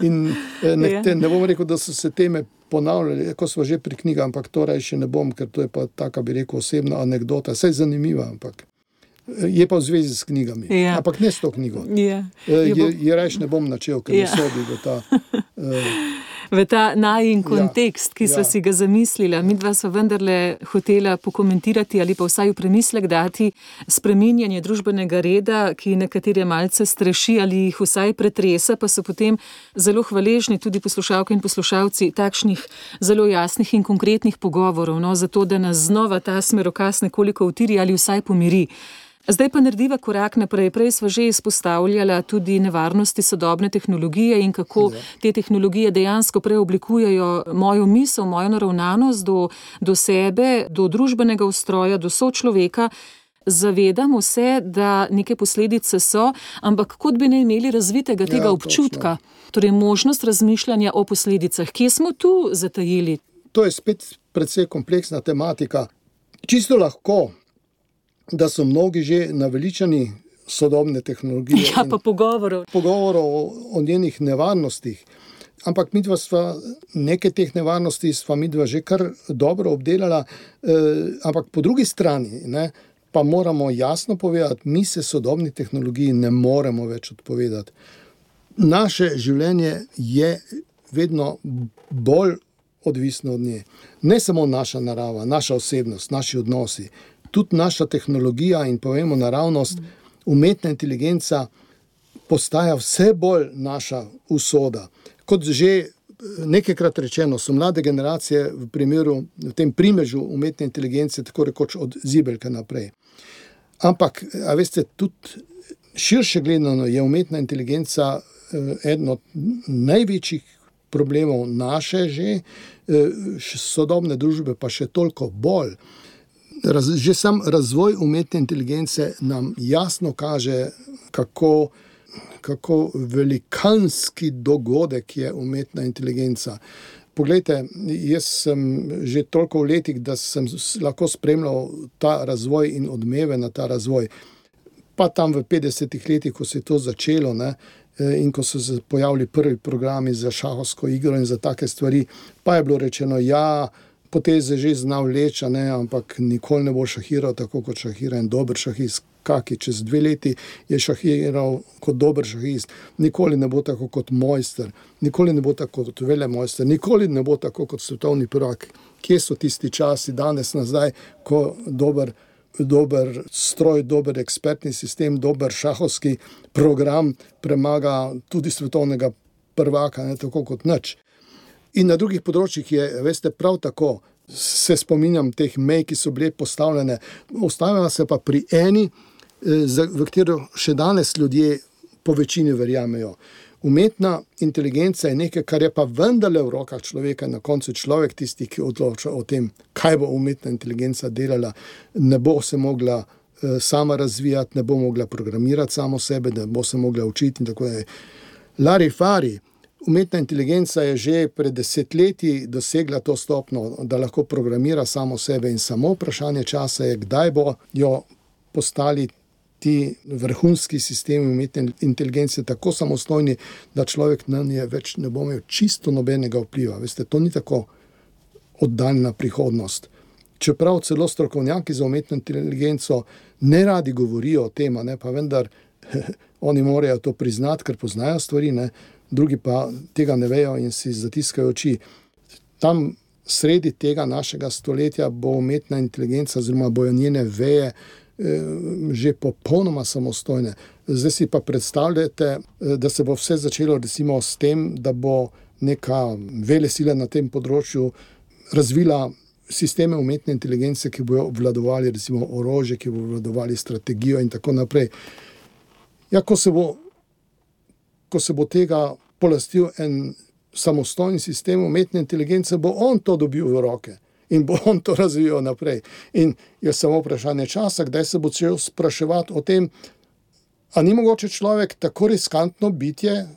S4: in ne bom rekel, da so se teme ponavljali, ko smo že pri knjigah, ampak to še ne bom, ker to je pa taka, bi rekel, osebna anekdota, saj zanimiva, ampak je pa v zvezi s knjigami, ampak ne s to knjigo. Je rajš ne bom načel, ker ne sodi v ta...
S3: V ta najin kontekst, ki so si ga zamislila. Midva sva vendarle hotela pokomentirati ali pa vsaj v premislek dati spreminjanje družbenega reda, ki nekatere malce streši ali jih vsaj pretresa, pa so potem zelo hvaležni tudi poslušalke in poslušalci takšnih zelo jasnih in konkretnih pogovorov, zato da nas znova ta smerokaz nekoliko utiri ali vsaj pomiri. Zdaj pa narediva korak naprej. Prej sva že izpostavljala tudi nevarnosti sodobne tehnologije in kako te tehnologije dejansko preoblikujejo mojo misel, mojo naravnanost do sebe, do družbenega ustroja, do sočloveka. Zavedamo se, da neke posledice so, ampak kot bi ne imeli razvitega tega občutka, torej možnost razmišljanja o posledicah. Kje smo tu zatajili?
S4: To je spet precej kompleksna tematika. Čisto lahko, da so mnogi že naveličani sodobne tehnologije.
S3: Ja, pa
S4: pogovorov o njenih nevarnostih. Ampak midva sva neke teh nevarnosti midva že kar dobro obdelala, ampak po drugi strani pa moramo jasno povedati, mi se sodobni tehnologiji ne moremo več odpovedati. Naše življenje je vedno bolj odvisno od nje. Ne samo naša narava, naša osebnost, naši odnosi, tudi naša tehnologija in povemo naravnost, umetna inteligenca postaja vse bolj naša usoda. Kot že nekajkrat rečeno, so mlade generacije v tem primežu umetne inteligence tako rekoč od zibelke naprej. Ampak, a veste, tudi širše gledano je umetna inteligenca eden od največjih problemov naše sodobne družbe, pa še toliko bolj. Že sam razvoj umetne inteligence nam jasno kaže, kako velikanski dogodek je umetna inteligenca. Poglejte, jaz sem že toliko v letih, da sem lahko spremljal ta razvoj in odmeve na ta razvoj. Pa tam v 50-ih letih, ko se je to začelo, in ko so se pojavili prvi programi za šahovsko igro in za take stvari, pa je bilo rečeno, poteze že zna vleči, ampak nikoli ne bo šahiral tako, kot šahira en dober šahist. Kaki čez 2 leti je šahiral kot dober šahist. Nikoli ne bo tako kot mojster, nikoli ne bo tako kot velemojster, nikoli ne bo tako kot svetovni prvak. Kje so tisti časi danes nazaj, ko dober stroj, dober ekspertni sistem, dober šahovski program premaga tudi svetovnega prvaka, tako kot nič. In na drugih področjih je, veste, prav tako, se spominjam teh mej, ki so bile postavljene. Ostavila se pa pri eni, v katero še danes ljudje po večini verjamejo. Umetna inteligenca je nekaj, kar je pa vendarle v rokah človeka, na koncu človek tisti, ki odloča o tem, kaj bo umetna inteligenca delala, ne bo se mogla sama razvijati, ne bo mogla programirati samo sebe, ne bo se mogla učiti in tako dalje. Larifari, umetna inteligenca je že pred 10 leti dosegla to stopnjo, da lahko programira samo sebe in samo vprašanje časa je, kdaj bo jo postali ti vrhunski sistemi umetne inteligence tako samostojni, da človek na nje več ne bo imel čisto nobenega vpliva. Veste, to ni tako oddaljena prihodnost. Čeprav celo strokovnjaki za umetno inteligenco ne radi govorijo o tem, pa vendar oni morajo to priznati, ker poznajo stvari, drugi pa tega ne vejo in si zatiskajo oči. Tam sredi tega našega stoletja bo umetna inteligenca oziroma bojo njene veje že popolnoma samostojne. Zdaj si pa predstavljate, da se bo vse začelo recimo s tem, da bo neka velesila na tem področju razvila sisteme umetne inteligence, ki bojo obvladovali recimo orožje, ki bojo obvladovali strategijo in tako naprej. Ja, ko se bo tega polastil en samostojni sistem umetne inteligence, bo on to dobil v roke in bo on to razvijal naprej. In je samo vprašanje časa, kdaj se bo začel spraševati o tem, a ni mogoče človek tako riskantno bitje,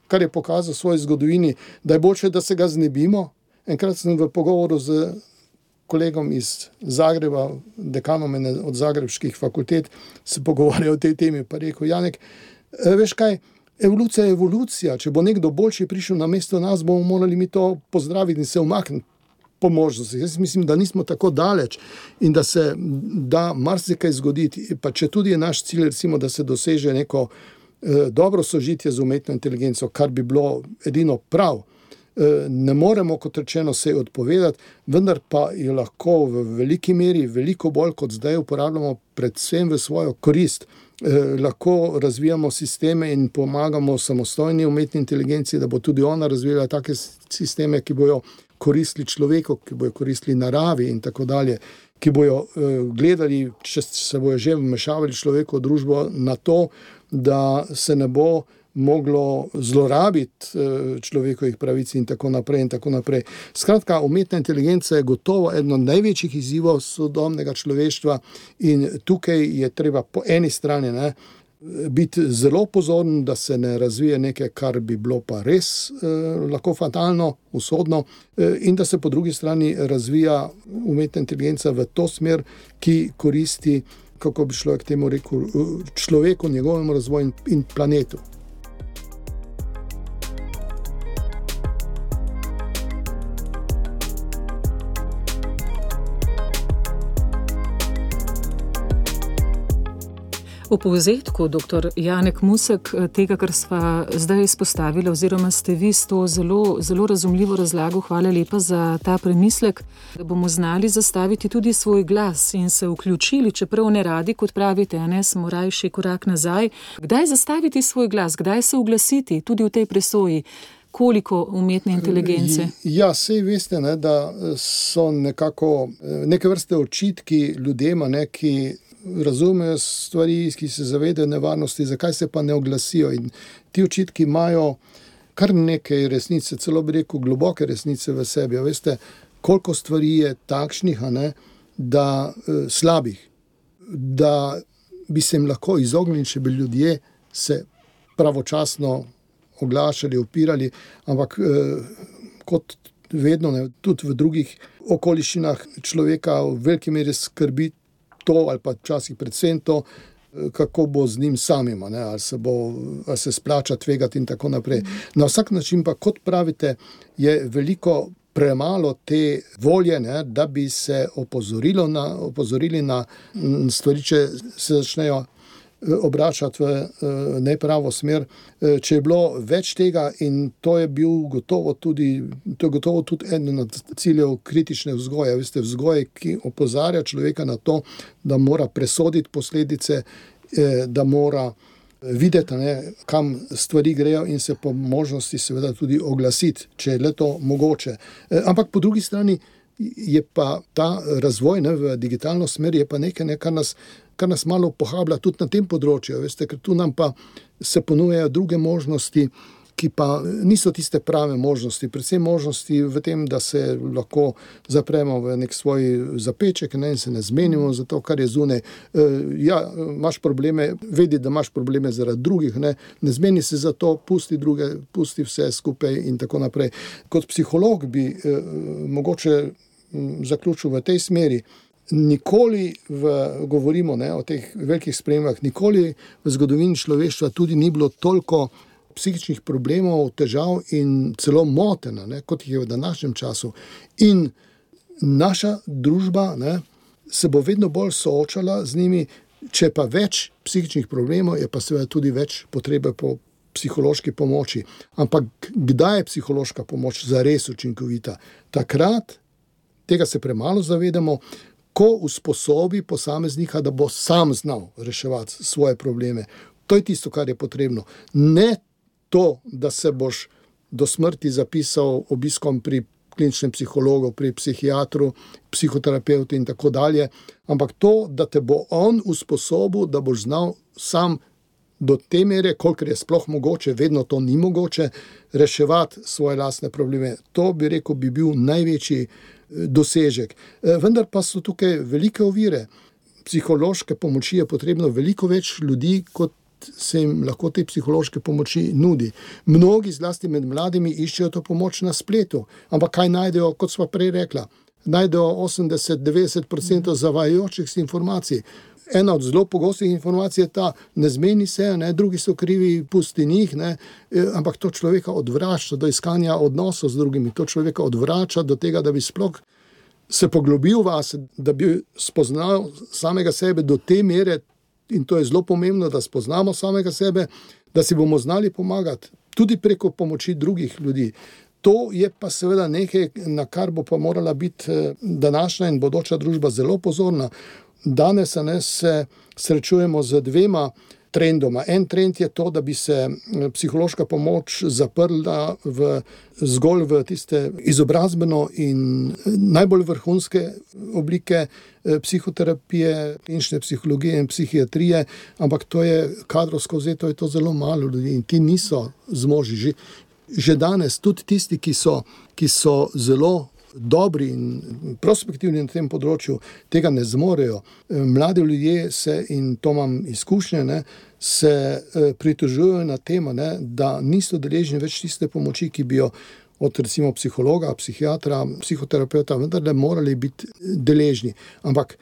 S4: kar je pokazal v svoji zgodovini, da je boljše, da se ga znebimo. Enkrat sem v pogovoru z kolegom iz Zagreba, dekanom od zagrebških fakultet, se pogovarjal o tej temi, pa rekel, Janek, veš kaj, evolucija je evolucija, če bo nekdo boljši prišel na mesto nas, bomo morali mi to pozdraviti in se umakniti po možnosti. Jaz mislim, da nismo tako daleč in da se da marsikaj zgoditi, pa če tudi je naš cilj, recimo, da se doseže neko dobro sožitje z umetno inteligenco, kar bi bilo edino prav. Ne moremo, kot rečeno, se odpovedati, vendar pa jo lahko v veliki meri, veliko bolj kot zdaj uporabljamo predvsem v svojo korist. Lahko razvijamo sisteme in pomagamo samostojni umetni inteligenci, da bo tudi ona razvijala take sisteme, ki bojo koristili človeku, ki bojo koristili naravi in tako dalje, ki bojo gledali, če se bojo že vmešavali človeku v družbo na to, da se ne bo moglo zlorabiti človekovih pravic in tako naprej in tako naprej. Skratka, umetna inteligenca je gotovo eno od največjih izzivov sodobnega človeštva in tukaj je treba po eni strani biti zelo pozoren, da se ne razvije nekaj, kar bi bilo pa res lahko fatalno, usodno, in da se po drugi strani razvija umetna inteligenca v to smer, ki koristi, kako bi človek temu rekel, človeku, njegovemu razvoju in planetu.
S3: V povzetku, dr. Janek Musek, tega, kar sva zdaj izpostavila, oziroma ste vi s to zelo, zelo razumljivo razlago, hvala lepa za ta premislek, da bomo znali zastaviti tudi svoj glas in se vključili, čeprav ne radi, kot pravite, smo rajši korak nazaj. Kdaj zastaviti svoj glas, kdaj se oglasiti tudi v tej presoji? Koliko umetne inteligence?
S4: Ja, sej veste, da so nekako neke vrste očitki ljudema, ki razumejo stvari, ki se zavedajo nevarnosti, zakaj se pa ne oglasijo. In ti očitki imajo kar nekaj resnice, celo bi rekel globoke resnice v sebi. Veste, koliko stvari je takšnih, da slabih, da bi se jim lahko izognili, če bi ljudje se pravočasno oglašali, opirali, ampak kot vedno, tudi v drugih okoliščinah človeka v veliki meri skrbi to, ali pa včasih predvsem to, kako bo z njim samim, ali se splača tvegati in tako naprej. Na vsak način pa, kot pravite, je veliko premalo te volje, da bi se opozorili na stvari, če se začnejo obračati v nepravo smer. Če je bilo več tega, in to je gotovo tudi eden od ciljev kritične vzgoje, veste, vzgoje, ki opozarja človeka na to, da mora presoditi posledice, da mora videti, kam stvari grejo in se po možnosti seveda tudi oglasiti, če je le to mogoče. Ampak po drugi strani je pa ta razvoj v digitalno smer je pa nekaj, kar nas malo pohablja tudi na tem področju, veste, ker tu nam pa se ponujajo druge možnosti, ki pa niso tiste prave možnosti. Predvsem možnosti v tem, da se lahko zapremo v nek svoj zapeček in se ne zmenimo za to, kar je zunaj. Imaš probleme, vedi, da imaš probleme zaradi drugih, ne zmeni se za to, pusti druge, pusti vse skupaj in tako naprej. Kot psiholog bi mogoče zaključil v tej smeri. Nikoli govorimo o teh velikih spremembah, nikoli v zgodovini človeštva tudi ni bilo toliko psihičnih problemov, težav in celo motenj, kot jih je v današnjem času. In naša družba se bo vedno bolj soočala z njimi, če pa več psihičnih problemov, je pa seveda tudi več potrebe po psihološki pomoči. Ampak kdaj je psihološka pomoč zares učinkovita? Takrat, tega se premalo zavedamo, ko usposobi posameznika, da bo sam znal reševati svoje probleme. To je tisto, kar je potrebno. Ne to, da se boš do smrti zapisal obiskom pri kliničnem psihologu, pri psihiatru, psihoterapeutu in tako dalje, ampak to, da te bo on usposobil, da boš znal sam do te mere, kolikor je sploh mogoče, vedno to ni mogoče, reševati svoje lastne probleme. To bi rekel, bi bil največji dosežek. Vendar pa so tukaj velike ovire. Psihološke pomoči je potrebno veliko več ljudi, kot se jim lahko te psihološke pomoči nudi. Mnogi, zlasti med mladimi, iščejo to pomoč na spletu, ampak kaj najdejo, kot sva prej rekla? Najdejo 80-90% zavajajočih si informacij. Ena od zelo pogostih informacij je ta, ne zmeni se, drugi so krivi, pusti njih, ampak to človeka odvrača do iskanja odnosov z drugimi, to človeka odvrača do tega, da bi sploh se poglobil vase, da bi spoznal samega sebe do te mere, in to je zelo pomembno, da spoznamo samega sebe, da si bomo znali pomagati, tudi preko pomoči drugih ljudi. To je pa seveda nekaj, na kar bo pa morala biti današnja in bodoča družba zelo pozorna. Danes se srečujemo z dvema trendoma. En trend je to, da bi se psihološka pomoč zaprla zgolj v tiste izobrazbeno in najbolj vrhunske oblike psihoterapije, klinične psihologije in psihiatrije, ampak to je kadrovsko vzeto, je to zelo malo ljudi in ti niso zmožni. Že danes tudi tisti, ki so zelo dobri in prospektivni na tem področju, tega ne zmorejo. Mladi ljudje in to imam izkušnje, se pritožujejo na temo, da niso deležni več tiste pomoči, ki bi jo od recimo psihologa, psihiatra, psihoterapeuta vendarle morali biti deležni. Ampak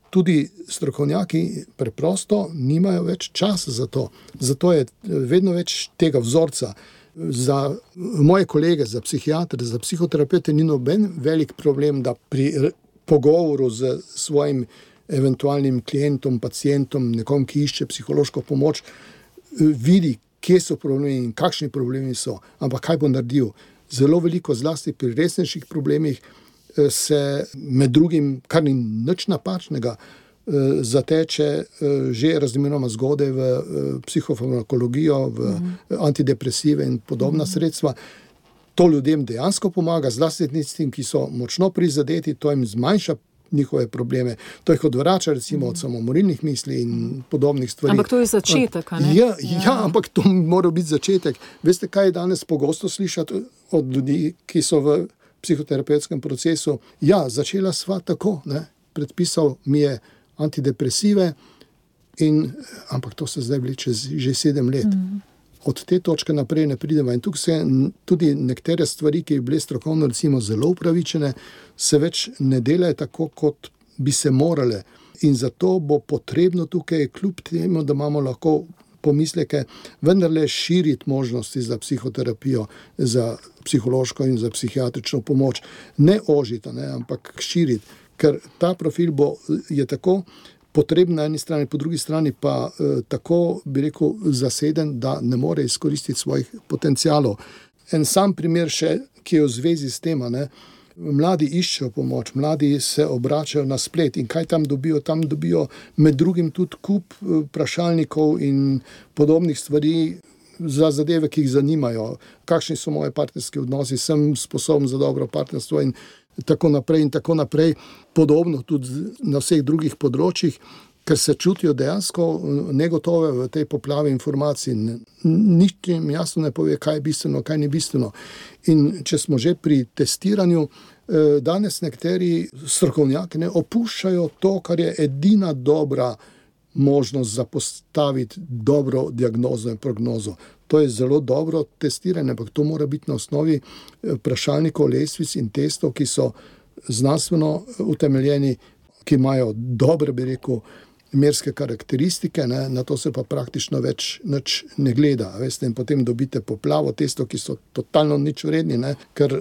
S4: tudi strokovnjaki preprosto nimajo več časa za to. Zato je vedno več tega vzorca. Za moje kolege, za psihiatre, za psihoterapeute ni noben velik problem, da pri pogovoru z svojim eventualnim klientom, pacientom, nekom, ki išče psihološko pomoč, vidi, kje so problemi in kakšni problemi so, ampak kaj bo naredil. Zelo veliko, zlasti pri resnejših problemih, se med drugim, kar ni nič napačnega, zateče že razmeroma zgodaj v psihofarmakologijo, v antidepresive in podobna sredstva. To ljudem dejansko pomaga, zlasti tistim, ki so močno prizadeti, to jim zmanjša njihove probleme. To jih odvrača recimo od samomorilnih misli in podobnih stvari.
S3: Ampak to je začetek, a ne?
S4: Ja, ampak to mora biti začetek. Veste, kaj je danes pogosto slišati od ljudi, ki so v psihoterapevtskem procesu? Ja, začela sva tako, predpisal mi je antidepresive, ampak to se zdaj vleče že 7 let. Od te točke naprej ne pridemo. In tukaj se tudi nekatere stvari, ki bi bile strokovno recimo zelo upravičene, se več ne delajo tako, kot bi se morale. In zato bo potrebno tukaj, kljub temu, da imamo lahko pomisleke, vendarle širiti možnosti za psihoterapijo, za psihološko in za psihiatrično pomoč. Ne ožiti, ampak širiti. Ker ta profil je tako potreben na eni strani, po drugi strani pa tako, bi rekel, zaseden, da ne more izkoristiti svojih potencialov. En sam primer še, ki je v zvezi s tem, mladi iščejo pomoč, mladi se obračajo na splet in kaj tam dobijo? Tam dobijo med drugim tudi kup vprašalnikov in podobnih stvari za zadeve, ki jih zanimajo. Kakšni so moje partnerski odnosi, sem sposoben za dobro partnerstvo in tako naprej in tako naprej. Podobno tudi na vseh drugih področjih. ker se čutijo dejansko negotove v tej poplavi informacij. Nič jim jasno ne pove, kaj je bistveno, kaj ni bistveno. In če smo že pri testiranju, danes nekateri strokovnjaki opuščajo to, kar je edina dobra možnost za postaviti dobro diagnozo in prognozo. To je zelo dobro testiranje, ampak to mora biti na osnovi vprašalnikov, lestvic in testov, ki so znanstveno utemeljeni, ki imajo dobre, bi rekel, merske karakteristike, na to se pa praktično več nič ne gleda. Veste, in potem dobite poplavo testov, ki so totalno nič vredni, ker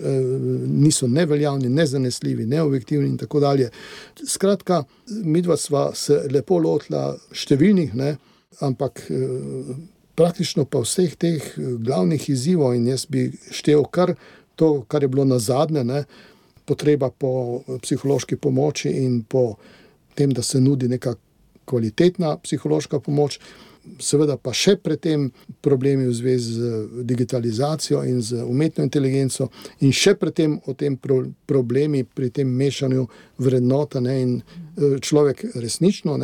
S4: niso neveljavni, nezanesljivi, neobjektivni in tako dalje. Skratka, midva sva se lepo lotila številnih, ampak praktično pa vseh teh glavnih izzivov, in jaz bi štel kar to, kar je bilo nazadnje, potreba po psihološki pomoči in po tem, da se nudi neka kvalitetna psihološka pomoč, seveda pa še pred tem problemi v zvezi z digitalizacijo in z umetno inteligenco in še pred tem o tem problemi pri tem mešanju vrednota, in človek resnično,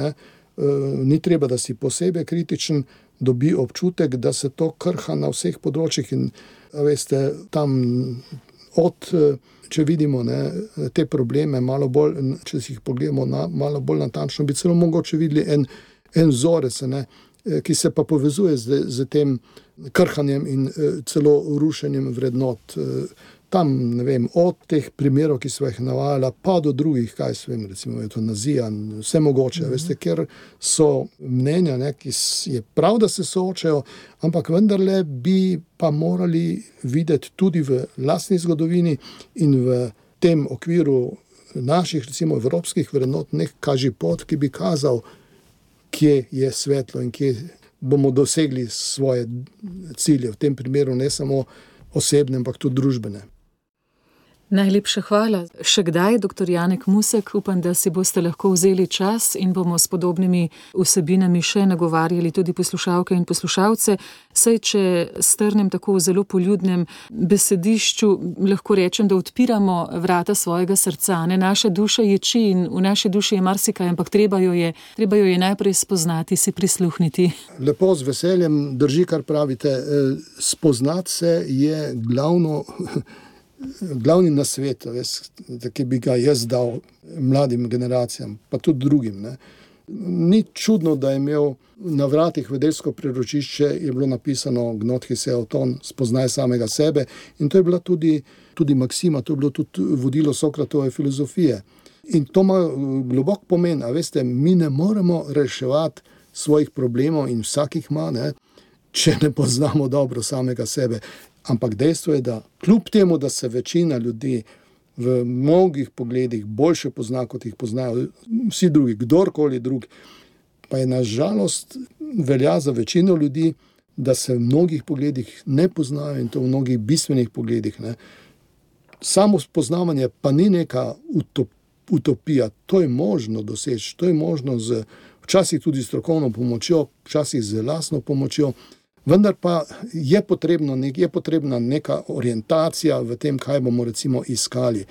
S4: ni treba, da si posebej kritičen, dobi občutek, da se to krha na vseh področjih in veste, tam če vidimo te probleme malo bolj, če si jih pogledamo malo bolj natančno, bi celo mogoče videli en vzorec, ki se pa povezuje z tem krhanjem in celo rušenjem vrednot. Tam, od teh primerov, ki sva jih navajala, pa do drugih, recimo eutanazija, vse mogoče, veste, ker so mnenja, ki je prav, da se soočajo, ampak vendarle bi pa morali videti tudi v lastni zgodovini in v tem okviru naših, recimo, evropskih vrednot, nek kažipot, ki bi kazal, kje je svetlo in kje bomo dosegli svoje cilje, v tem primeru ne samo osebne, ampak tudi družbene.
S3: Najlepša hvala. Še kdaj, dr. Janek Musek, upam, da si boste lahko vzeli čas in bomo s podobnimi vsebinami še nagovarjali tudi poslušalke in poslušalce. Saj, če strnem tako v zelo poljudnem besedišču, lahko rečem, da odpiramo vrata svojega srca. Naša duša ječi in v naši duši je marsikaj, ampak treba jo je najprej spoznati, si prisluhniti.
S4: Lepo, z veseljem drži, kar pravite. Spoznati se je glavni nasvet, ki bi ga jaz dal mladim generacijam, pa tudi drugim. Ni čudno, da je imel na vratih vedeljsko priročišče, je bilo napisano Gnot His Auton, spoznaj samega sebe, in to je bila tudi maksima, to je bilo tudi vodilo Sokratove filozofije. In to ima globok pomen, mi ne moremo reševati svojih problemov in vsakih ima, če ne poznamo dobro samega sebe. Ampak dejstvo je, da kljub temu, da se večina ljudi v mnogih pogledih boljše pozna, kot jih poznajo vsi drugi, kdorkoli drugi, pa je nažalost velja za večino ljudi, da se v mnogih pogledih ne poznajo in to v mnogih bistvenih pogledih. Samo spoznavanje pa ni neka utopija, to je možno doseči, to je možno včasih tudi strokovno pomočjo, včasih z lastno pomočjo. Vendar pa je potrebna neka orientacija v tem, kaj bomo recimo iskali.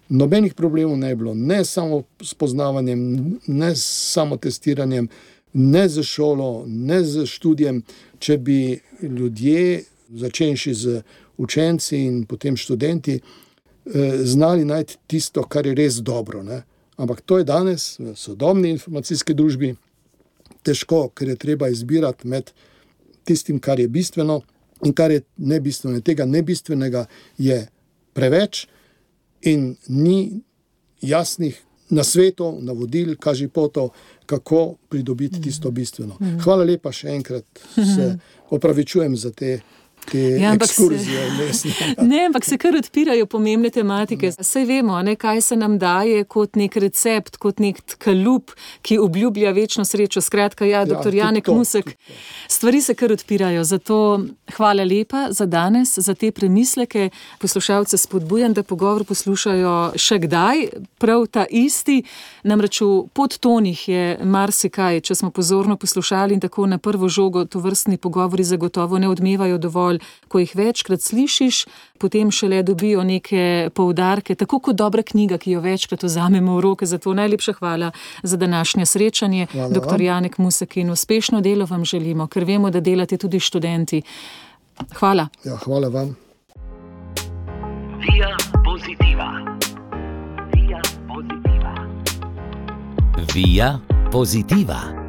S4: Nobenih problemov ne je bilo, ne samo s poznavanjem, ne samo testiranjem, ne z šolo, ne z študijem. Če bi ljudje, začenši z učenci in potem študenti, znali najti tisto, kar je res dobro. Ampak to je danes v sodobni informacijski družbi težko, ker je treba izbirati med tistim, kar je bistveno in kar je nebistveno. Tega nebistvenega je preveč in ni jasnih nasvetov, navodil, kažipotov, kako pridobiti tisto bistveno. Hvala lepa še enkrat, se opravičujem za te ekskurzije.
S3: Ampak se kar odpirajo pomembne tematike. Saj vemo, kaj se nam daje kot nek recept, kot nek kalup, ki obljublja večno srečo. Skratka, dr. Janek Musek, stvari se kar odpirajo. Zato hvala lepa za danes, za te premisleke. Poslušalce spodbujam, da pogovor poslušajo še kdaj, prav ta isti. Namreč v podtonih je marsikaj, če smo pozorno poslušali in tako na prvo žogo tovrstni pogovori zagotovo ne odmevajo dovolj pol, ko jih večkrat slišiš, potem šele dobijo neke poudarke, tako kot dobra knjiga, ki jo večkrat vzamemo v roke. Zato najlepša hvala za današnje srečanje. Dr. Janek Musek, in uspešno delo vam želimo, ker vemo, da delate tudi študenti. Hvala.
S4: Ja, hvala vam.
S1: Via Positiva. Via Positiva.
S2: Via Positiva.